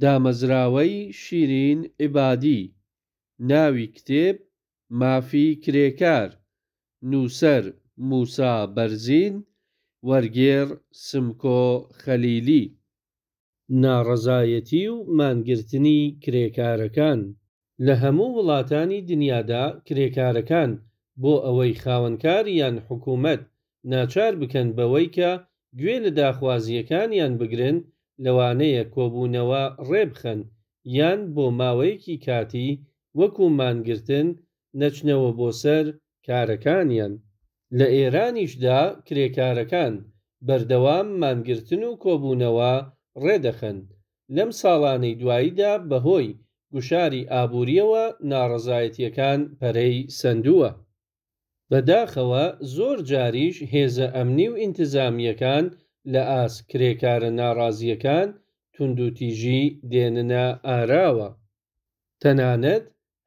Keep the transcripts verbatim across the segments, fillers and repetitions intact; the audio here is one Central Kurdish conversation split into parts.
دامەزراوەی شیرین عیبادی. ناوی کتێب: مافی کرێکار. نووسەر: موسا بەرزین. وەرگێڕ: سمکۆ خەلیلی. ناڕەزایەتی و مانگرتنی کرێکارەکان. لە هەموو وڵاتانی دنیادا کرێکارەکان بۆ ئەوەی خاوەنکار یان حکوومەت ناچار بکەن بەوەی کە گوێ لە داخوازییەکانیان بگرن، لەوانەیە کۆبوونەوە ڕێ بخەن یان بۆ ماوەیەکی کاتی وەکوو مانگرتن نەچنەوە بۆ سەر کارەکانیان. لە ئێرانیشدا کرێکارەکان بەردەوام مانگرتن و کۆبوونەوە ڕێ دەخەن. لەم ساڵانەی دواییدا بەهۆی گوشاری ئابوورییەوە ناڕەزایەتییەکان پەرەی سەندووە. بەداخەوە زۆر جاریش هێزە ئەمنی و ئینتزامییەکان لە ئاست کرێکارە ناڕازییەکان توندوتیژی دێننە ئاراوە. تەنانەت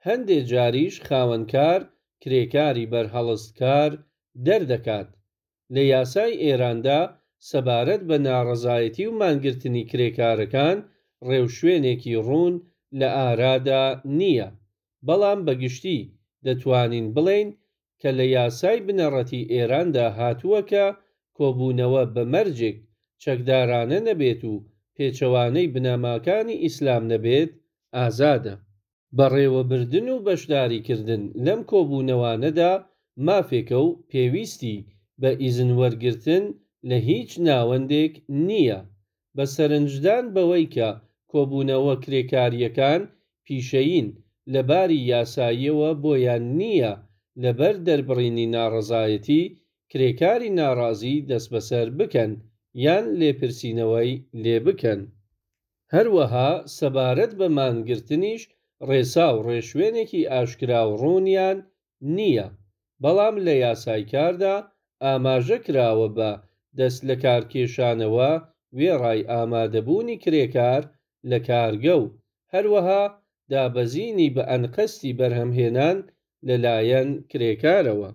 هەندێ جاریش خاوەنکار کرێکاری بەرهەڵستکار دەردەکات. لە یاسای ئێراندا سەبارەت بە ناڕەزایەتی و مانگرتنی کرێکارەکان ڕێوشوێنێکی ڕوون لە ئارادا نییە، بەڵام بەگشتی دەتوانین بڵێین کە لە یاسای بنەڕەتیی ئێراندا هاتووە کە کۆبوونەوە بە مەرجێک چەکدارانە نەبێت و پێچەوانەی بنەماکانی ئیسلام نەبێت، ئازادە. بەڕێوەبردن و بەشداریکردن لەم کۆبوونەوانەدا مافێکە و پێویستی بە ئیزنوەرگرتن لە هیچ ناوەندێک نییە. بە سەرنجدان بەوەی کە کۆبوونەوە کرێکارییەکان پیشەیین، لە باری یاساییەوە بۆیان نییە لەبەر دەربڕینی ناڕەزایەتی، کرێکاری ناڕازی دەسبەسەر بکەن یان لێپرسینەوەی لێ بکەن. هەروەها سەبارەت بە مانگرتنیش ڕێسا و ڕێوشوێنێکی ئاشکرا و ڕوونیان نییە، بەڵام لە یاسای کاردا ئاماژە کراوە بە دەستلەکارکێشانەوە وێڕای ئامادەبوونی کرێکار لە کارگە و هەروەها دابەزینی بەئەنقەستی بەرهەمهێنان لەلایەن کرێکارەوە.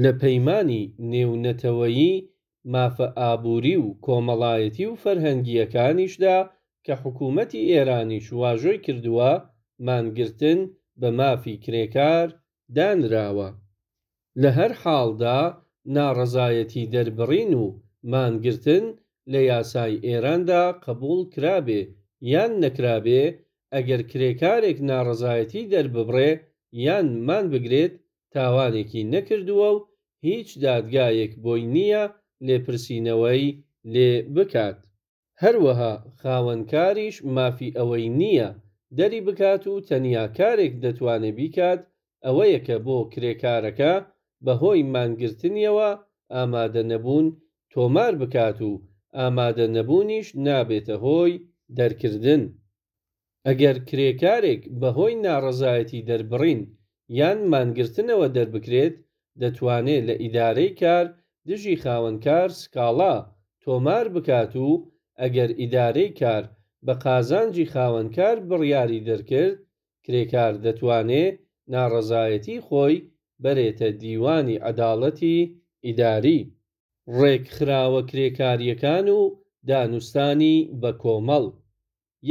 لە پەیمانی نێونەتەوەیی مافە ئابووری و کۆمەڵایەتی و فەرهەنگییەکانیشدا کە حکوومەتی ئێرانیش واژۆی کردووە، مانگرتن بە مافی کرێکار دانراوە. لە هەر حاڵدا ناڕەزایەتیدەربڕین و مانگرتن لە یاسای ئێراندا قبووڵ کرابێ یان نەکرابێ، ئەگەر کرێکارێک ناڕەزایەتی دەرببڕێ یان مان بگرێت، تاوانێکی نەکردووە و هیچ دادگایەک بۆی نییە لێپرسینەوەی لێ بکات. هەروەها خاوەنکاریش مافی ئەوەی نییە دەری بکات و تەنیا کارێک دەتوانێ بیکات ئەوەیە کە بۆ کرێکارەکە بەهۆی مانگرتنیەوە ئامادەنەبوون تۆمار بکات و ئامادەنەبوونیش نابێتە هۆی دەرکردن. ئەگەر کرێکارێک بەهۆی ناڕەزایەتیدەربڕین یان مانگرتنەوە دەربکرێت، دەتوانێ لە ئیدارەی کار دژی خاوەنکار سکاڵا تۆمار بکات و ئەگەر ئیدارەی کار بە قازانجی خاوەنکار بڕیاری دەرکرد، کرێکار دەتوانێ ناڕەزایەتیی خۆی بەرێتە دیوانی عەداڵەتی ئیداری. ڕێکخراوە کرێکارییەکان و دانوستانی بەکۆمەڵ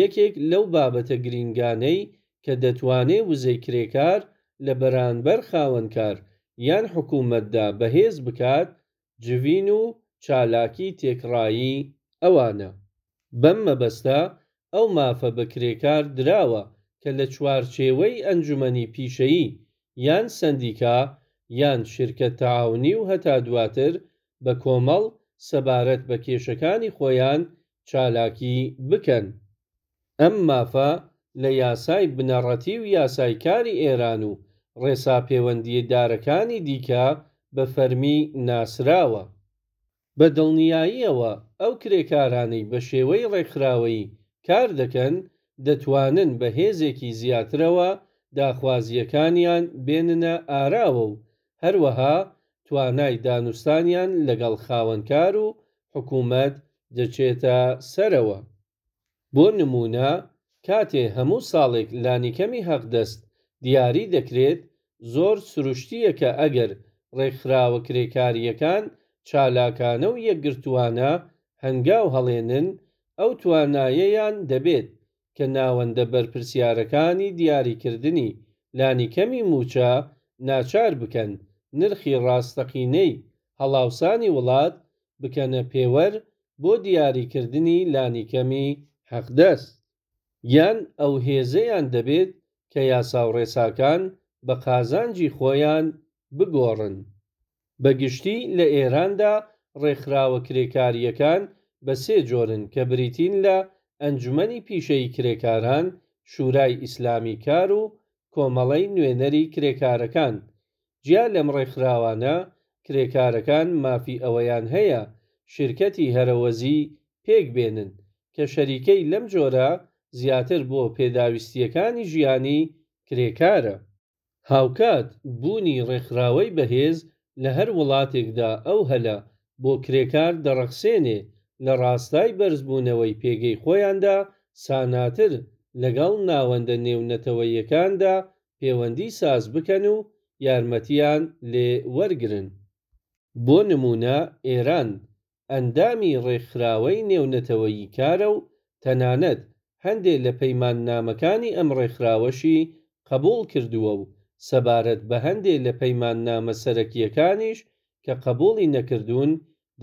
یەکێک لەو بابەتە گرینگانەی کە دەتوانێ وزەی کرێکار لە بەرانبەر خاوەنکار یان حکوومەتدا بەهێز بکات، جڤین و چالاکیی تێکڕایی ئەوانە. بەم مەبەستە ئەو مافە بە کرێکار دراوە کە لە چوارچێوەی ئەنجومەنی پیشەیی یان سەندیکا یان شرکت تعاونی و هەتا دواتر بە کۆمەڵ سەبارەت بە کێشەکانی خۆیان چالاکی بکەن. ئەم مافە لە یاسای بنەڕەتی و یاسای کاری ئێران و ڕێسا پێوەندیدارەکانی دیکە بە فەرمی ناسراوە. بە دڵنیاییەوە ئەو کرێکارانەی بە شێوەی ڕێکخراوەیی کار دەکەن، دەتوانن بە هێزێکی زیاترەوە داخوازییەکانیان بێننە ئاراوە و هەروەها توانای دانوستانیان لەگەڵ خاوەنکار و حکوومەت دەچێتە سەرەوە. بۆ نموونە کاتێ هەموو ساڵێک لانیکەمی حەقدەست دیاری دەکرێت، زۆر سروشتییە کە ئەگەر ڕێکخراوە کرێکارییەکان چالاکانە و یەکگرتووانە هەنگاو هەڵێنن، ئەو توانایەیان دەبێت کە ناوەندە بەرپرسیارەکانی دیاریکردنی لانیکەمی مووچە ناچار بکەن نرخی ڕاستەقینەی هەڵاوسانی وڵات بکەنە پێوەر بۆ دیاریکردنی لانیکەمی حەقدەست. یان ئەو هێزەیان دەبێت کە یاساوڕێساکان بە قازانجی خۆیان بگۆڕن. بە گشتی لە ئێراندا ڕێکخراوە کرێکارییەکان بە سێ جۆرن کە بریتین لە ئەنجومەنی پیشەیی کرێکاران، شورای ئیسلامیی کار و کۆمەڵەی نوێنەری کرێکارەکان. جیا لەم ڕێکخراوانە، کرێکارەکان مافی ئەوەیان هەیە شیرکەتی هەرەوەزی پێک بێنن کە شەریکەی لەم جۆرە زیاتر بۆ پێداویستییەکانی ژیانی کرێکارە. هاوکات بوونی ڕێکخراوەی بەهێز لە هەر وڵاتێکدا ئەو هەلە بۆ کرێکار دەڕەخسێنێ لە ڕاستای بەرزبوونەوەی پێگەی خۆیاندا ساناتر لەگەڵ ناوەندە نێونەتەوەییەکاندا پێوەندی ساز بکەن و یارمەتییان لێ وەرگرن. بۆ نموونە ئێران ئەندامی ڕێکخراوەی نێونەتەوەیی کارە و تەنانەت هەندێ لە پەیماننامەکانی ئەم ڕێکخراوەشی قەبووڵ کردووە و سەبارەت بە هەندێ لە پەیماننامە سەرەکییەکانیش کە قەبووڵی نەکردوون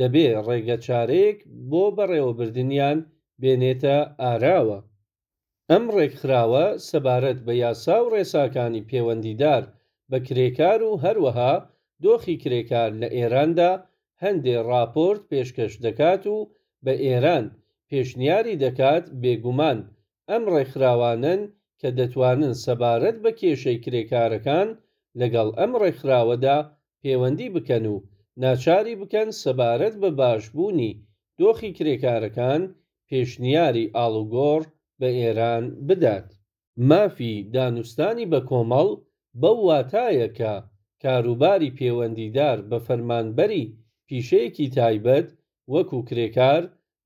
دەبێ ڕێگەچارەیەک بۆ بەڕێوەبردنیان بێنێتە ئاراوە. ئەم ڕێکخراوە سەبارەت بە یاسا و ڕێساکانی پێوەندیدار بە کرێکار و هەروەها دۆخی کرێکار لە ئێراندا هەندێ ڕاپۆرت پێشکەش دەکات و بە ئێران پێشنیاری دەکات بێگومان ئەم ڕێکخراوانەن کە دەتوانن سەبارەت بە کێشەی کرێکارەکان لەگەڵ ئەم ڕێکخراوەدا پێوەندی بکەن و ناچاری بکەن سەبارەت بە باشبوونی دۆخی کرێکارەکان پێشنیاری ئاڵوگۆڕ بە ئێران بدات. مافی دانوستانی بەکۆمەڵ بەو واتایە کە کاروباری پێوەندیدار بە فەرمانبەری پیشەیەکی تایبەت وەکوو کرێکار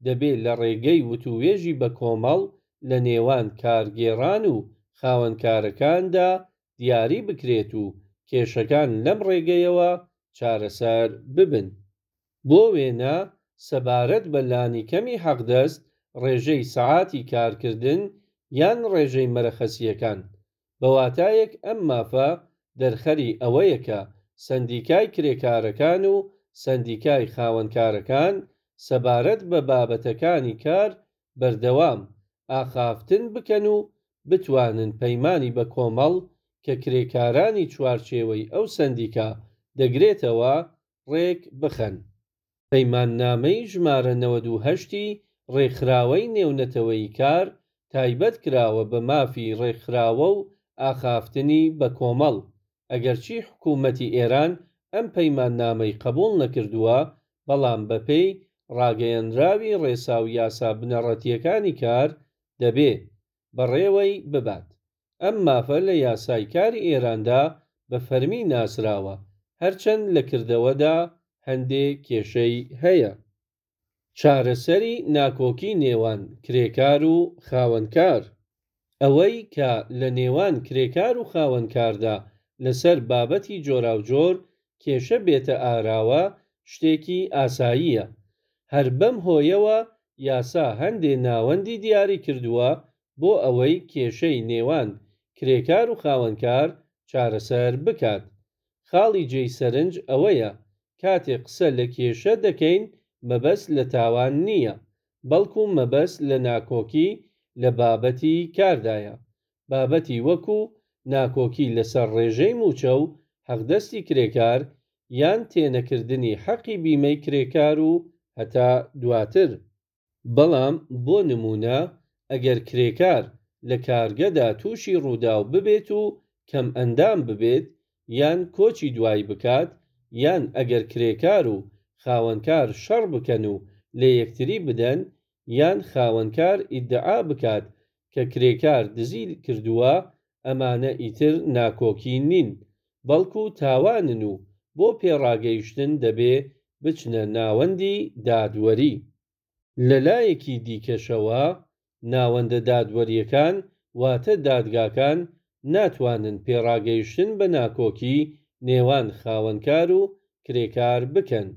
دەبێ لە ڕێگەی وتووێژی بەکۆمەڵ لە نێوان کارگێڕان و خاوەنکارەکاندا دیاری بکرێت و کێشەکان لەم ڕێگەیەوە چارەسەر ببن. بۆ وێنە سەبارەت بە لانیکەمی حەقدەست، ڕێژەی سەعاتی کارکردن یان ڕێژەی مەرەخەسییەکان. بە واتایەک ئەم مافە دەرخەری ئەوەیە کە سەندیکای کرێکارەکان و سەندیکای خاوەنکارەکان سەبارەت بە بابەتەکانی کار بەردەوام ئاخافتن بکەن و بتوانن پەیمانی بەکۆمەڵ کە کرێکارانی چوارچێوەی ئەو سەندیکا دەگرێتەوە ڕێک بخەن. پەیماننامەی ژمارە نەوەد و هەشت ی ڕێکخراوەی نێونەتەوەیی کار تایبەت کراوە بە مافی ڕێکخراوە و ئاخافتنی بەکۆمەڵ. ئەگەرچی حکوومەتی ئێران ئەم پەیماننامەی قەبووڵ نەکردووە، بەڵام بەپێی ڕاگەیەنراوی ڕێسا و یاسا بنەڕەتییەکانی کار دەبێ بەڕێوەی ببات. ئەم مافە لە یاسای کاری ئێراندا بە فەرمی ناسراوە، هەرچەند لە کردەوەدا هەندێ کێشەی هەیە. چارەسەری ناکۆکی نێوان کرێکار و خاوەنکار. ئەوەی کە لە نێوان کرێکار و خاوەنکاردا لەسەر بابەتی جۆراوجۆر کێشە بێتە ئاراوە شتێکی ئاساییە. هەر بەم هۆیەوە یاسا هەندێ ناوەندی دیاری کردووە بۆ ئەوەی کێشەی نێوان کرێکار و خاوەنکار چارەسەر بکات. خاڵی جێی سەرنج ئەوەیە کاتێ قسە لە کێشە دەکەین مەبەست لە تاوان نییە، بەڵکوو مەبەست لە ناکۆکی لە بابەتی کاردایە. بابەتی وەکوو ناکۆکی لەسەر ڕێژەی مووچە و حەقدەستی کرێکار یان تێنەکردنی حەقی بیمەی کرێکار و هەتا دواتر. بەڵام بۆ نموونە ئەگەر کرێکار لە کارگەدا تووشی ڕووداو ببێت و کەمئەندام ببێت یان کۆچی دوایی بکات یان ئەگەر کرێکار و خاوەنکار شەڕ بکەن و لە یەکتری بدەن یان خاوەنکار ئیدعا بکات کە کرێکار دزی کردووە ئەمانە ئیتر ناکۆکی نین بەڵکوو تاوانن و بۆ پێڕاگەیشتن دەبێ بچنە ناوەندی دادوەری. لە لایەکی دیکەشەوە ناوەندە دادوەرییەکان واتە دادگاکان ناتوانن پێڕاگەیشتن بە ناکۆکی نێوان خاوەنکار و کرێکار بکەن.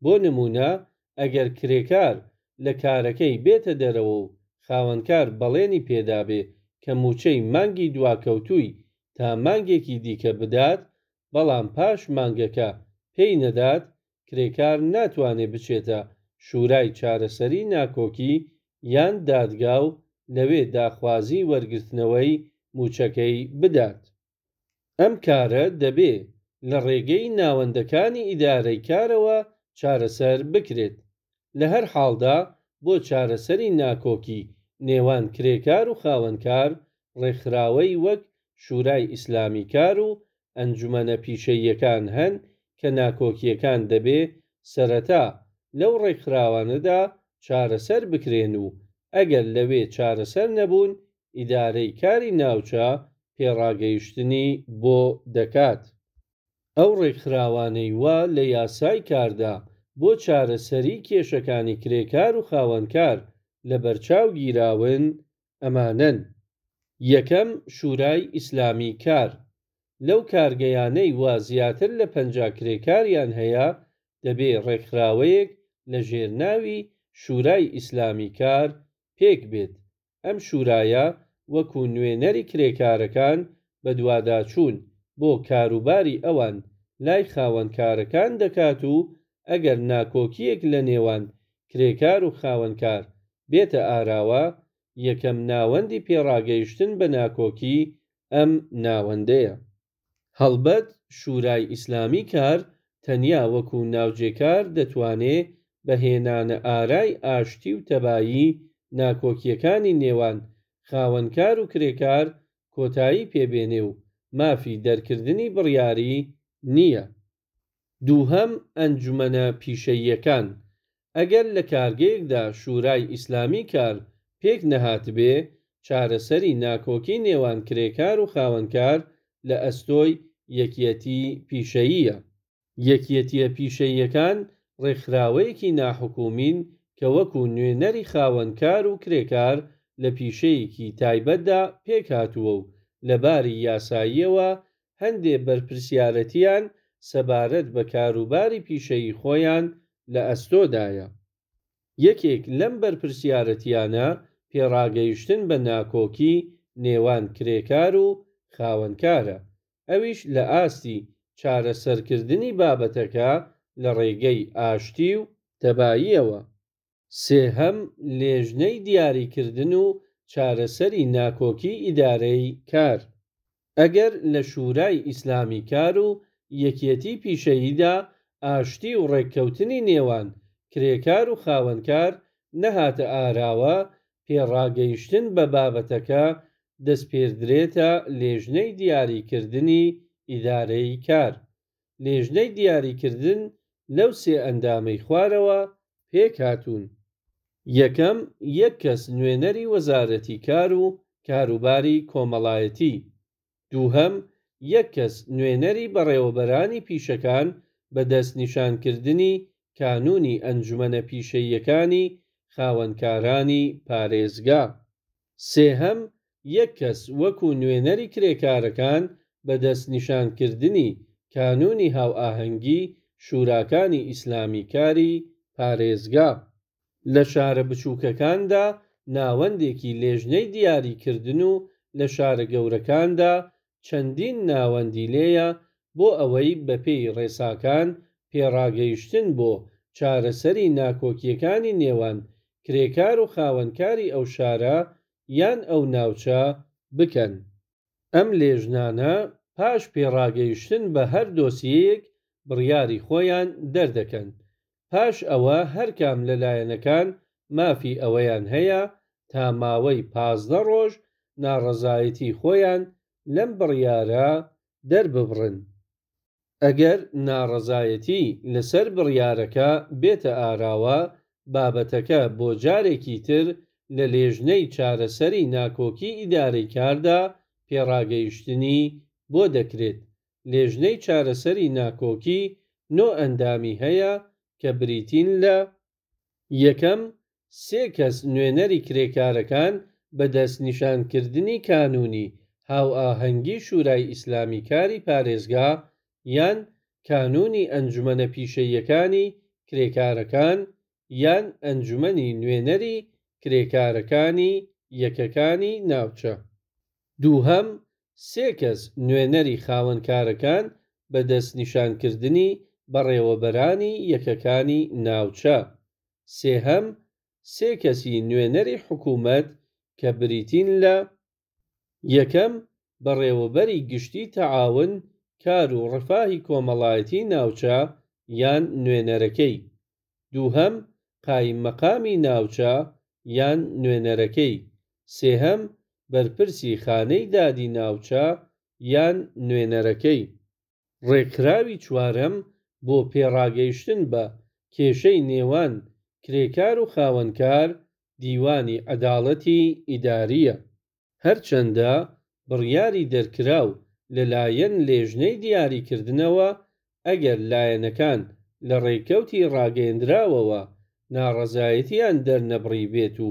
بۆ نموونە ئەگەر کرێکار لە کارەکەی بێتە دەرەوە و خاوەنکار بەڵێنی پێدابێ کە مووچەی مانگی دواکەوتووی تا مانگێکی دیکە بدات، بەڵام پاش مانگەکە پێی نەدات، کرێکار ناتوانێ بچێتە شورای چارەسەری ناکۆکی یان دادگا و لەوێ داخوازیی وەرگرتنەوەی مووچەکەی بدات. ئەم کارە دەبێ لە ڕێگەی ناوەندەکانی ئیدارەی کارەوە چارەسەر بکرێت. لە هەر حاڵدا بۆ چارەسەری ناکۆکی نێوان کرێکار و خاوەنکار، ڕێکخراوەی وەک شورای ئیسلامیی کار و ئەنجومەنە پیشەییەکان هەن کە ناکۆکییەکان دەبێ سەرەتا لەو ڕێکخراوانەدا چارەسەر بکرێن و ئەگەر لەوێ چارەسەر نەبوون، ئیدارەی کاری ناوچە پێڕاگەیشتنی بۆ دەکات. ئەو ڕێکخراوانەی وا لە یاسای کاردا بۆ چارەسەریی کێشەکانی کرێکار و خاوەنکار لەبەرچاو گیراون، ئەمانەن: یەکەم، شورای ئیسلامیی کار: لەو کارگەیانەی وا زیاتر لە پەنجا کرێکاریان هەیە، دەبێ ڕێکخراوەیەک لەژێر ناوی شورای ئیسلامیی کار پێک بێت. ئەم شورایە وەکوو نوێنەری کرێکارەکان بەدواداچوون بۆ کاروباری ئەوان لای خاوەنکارەکان دەکات و ئەگەر ناکۆکییەک لە نێوان کرێکار و خاوەنکار بێتە ئاراوە، یەکەم ناوەندی پێڕاگەیشتن بە ناکۆکی ئەم ناوەندەیە. هەڵبەت شورای ئیسلامیی کار تەنیا وەکوو ناوجێکار دەتوانێ بە هێنانەئارای ئاشتی و تەبایی ناکۆکییەکانی نێوان خاوەنکار و کرێکار کۆتایی پێ بێنێ و مافی دەرکردنی بڕیاری نییە. دووهەم، ئەنجومەنە پیشەییەکان: ئەگەر لە کارگەیەکدا شورای ئیسلامیی کار پێک نەهاتبێ، چارەسەری ناکۆکی نێوان کرێکار و خاوەنکار لە ئەستۆی یەکیەتیی پیشەییە. یەکیەتییە پیشەییەکان ڕێکخراوەیەکی ناحوکمین کە وەکوو نوێنەری خاوەنکار و کرێکار لە پیشەیەکی تایبەتدا پێکهاتووە و لە باری یاساییەوە هەندێ بەرپرسیارەتییان سەبارەت بە کاروباری پیشەیی خۆیان لە ئەستۆدایە. یەکێک لەم بەرپرسیارەتییانە پێڕاگەیشتن بە ناکۆکی نێوان کرێکار و خاوەنکارە، ئەویش لە ئاستی چارەسەرکردنی بابەتەکە لە ڕێگەی ئاشتی و تەباییەوە. سێهەم، لێژنەی دیاریکردن و چارەسەری ناکۆکی ئیدارەی کار: ئەگەر لە شورای ئیسلامیی کار و یەکیەتیی پیشەییدا ئاشتی و ڕێککەوتنی نێوان کرێکار و خاوەنکار نەهاتە ئاراوە، پێڕاگەیشتن بە بابەتەکە دەسپێردرێتە لێژنەی دیاریکردنی ئیدارەی کار. لێژنەی دیاریکردن لەو سێ ئەندامەی خوارەوە پێک هاتوون: یەکەم، یەک کەس نوێنەری وەزارەتی کار و کاروباری کۆمەڵایەتی. دووهەم، یەک کەس نوێنەری بەڕێوەبەرانی پیشەکان بە دەستنیشانکردنی کانوونی ئەنجومەنە پیشەییەکانی خاوەنکارانی پارێزگا. سێهەم، یەک کەس وەکوو نوێنەری کرێکارەکان بە دەستنیشانکردنی کانوونی هاوئاهەنگی شوراکانی ئیسلامیی کاری پارێزگا. لە شارە بچووکەکاندا ناوەندێکی لێژنەی دیاریکردن و لە شارە گەورەکاندا چەندین ناوەندی لێیە بۆ ئەوەی بەپێی ڕێساکان پێڕاگەیشتن بۆ چارەسەری ناکۆکییەکانی نێوان کرێکار و خاوەنکاری ئەو شارە یان ئەو ناوچە بکەن. ئەم لێژنانە پاش پێڕاگەیشتن بە هەر دۆسیەیەک بڕیاری خۆیان دەردەکەن. پاش ئەوە هەرکام لە لایەنەکان مافی ئەوەیان هەیە تا ماوەی پازدە ڕۆژ ناڕەزایەتیی خۆیان لەم بڕیارە دەرببڕن. ئەگەر ناڕەزایەتی لەسەر بڕیارەکە بێتە ئاراوە، بابەتەکە بۆ جارێکی تر لە لێژنەی چارەسەری ناکۆکی ئیدارەی کاردا پێڕاگەیشتنی بۆ دەکرێت. لێژنەی چارەسەری ناکۆکی نۆ ئەندامی هەیە کە بریتین لە: یەکەم، سێ کەس نوێنەری کرێکارەکان بە دەستنیشانکردنی کانوونی هاوئاهەنگی شورای ئیسلامیی کاری پارێزگا یان کانوونی ئەنجومەنە پیشەییەکانی کرێکارەکان یان ئەنجومەنی نوێنەری کرێکارەکانی یەکەکانی ناوچە. دووهەم، سێ کەس نوێنەری خاوەنکارەکان بە دەستنیشانکردنی بەڕێوەبەرانی یەکەکانی ناوچە. سێهەم، سێ کەسی نوێنەری حکوومەت کە بریتین لە: یەکەم، بەڕێوەبەری گشتیی تەعاون، کار و ڕەفاهی کۆمەڵایەتیی ناوچە یان نوێنەرەکەی. دووهەم، قایمقامی ناوچە یان نوێنەرەکەی. سێهەم، بەرپرسی خانەی دادی ناوچە یان نوێنەرەکەی. ڕێکخراوی چوارەم بۆ پێڕاگەیشتن بە کێشەی نێوان کرێکار و خاوەنکار، دیوانی عەدالەتی ئیداریە. هەرچەندە بڕیاری دەرکراو لەلایەن لێژنەی دیاریکردنەوە، ئەگەر لایەنەکان لە ڕێکەوتی ڕاگەیەندراوەوە ناڕەزایەتیان دەرنەبڕیبێت و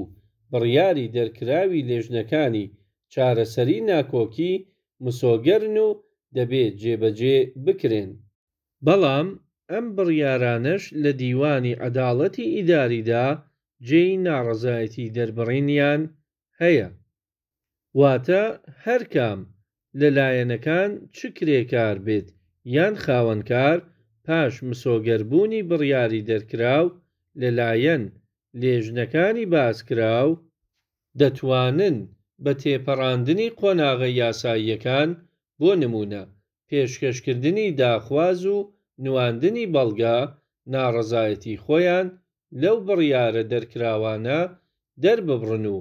بڕیاری دەرکراوی لێژنەکانی چارەسەری ناکۆکی مسۆگەرن و دەبێ جێبەجێ بکرێن. بەڵام ئەم بڕیارانەش لە دیوانی عەدالەتی ئیداریدا جێی ناڕەزایەتیدەربڕینیان هەیە. واتە هەر کام لە لایەنەکان چ کرێکار بێت یان خاوەنکار پاش مسۆگەربوونی بڕیاری دەرکراو لەلایەن لێژنەکانی باسکراو، دەتوانن بە تێپەڕاندنی قۆناغە یاساییەکان، بۆ نموونە پێشکەشکردنی داخواز و نواندنی بەڵگە، ناڕەزایەتیی خۆیان لەو بڕیارە دەرکراوانە دەرببڕن و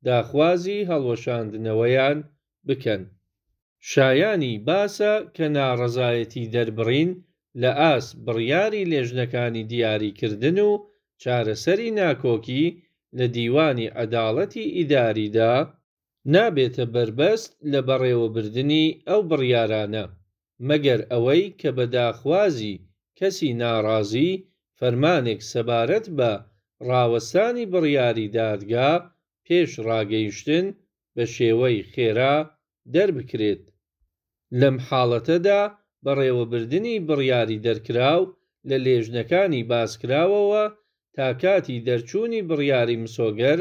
داخوازی هەڵوەشاندنەوەیان بکەن. شایانی باسە کە ناڕەزایەتیدەربڕین لەئاست بڕیاری لێژنەکانی دیاریکردن و چارەسەری ناکۆکی لە دیوانی عەدالەتی ئیداریدا، نابێتە بەربەست لە بەڕێوەبردنی ئەو بڕیارانە، مەگەر ئەوەی کە بە داخوازی کەسی ناڕازی فەرمانێک سەبارەت بە ڕاوەستانی بڕیاری دادگا پێش ڕاگەیشتن بە شێوەی خێرا دەربکرێت. لەم حاڵەتەدا بەڕێوەبردنی بڕیاری دەرکراو لە لێژنەکانی باسکراوەوە تا کاتی دەرچوونی بڕیاری مسۆگەر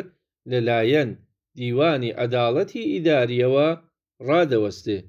لەلایەن دیوانی عەدالەتی ئیداریەوە ڕادەوەستێ.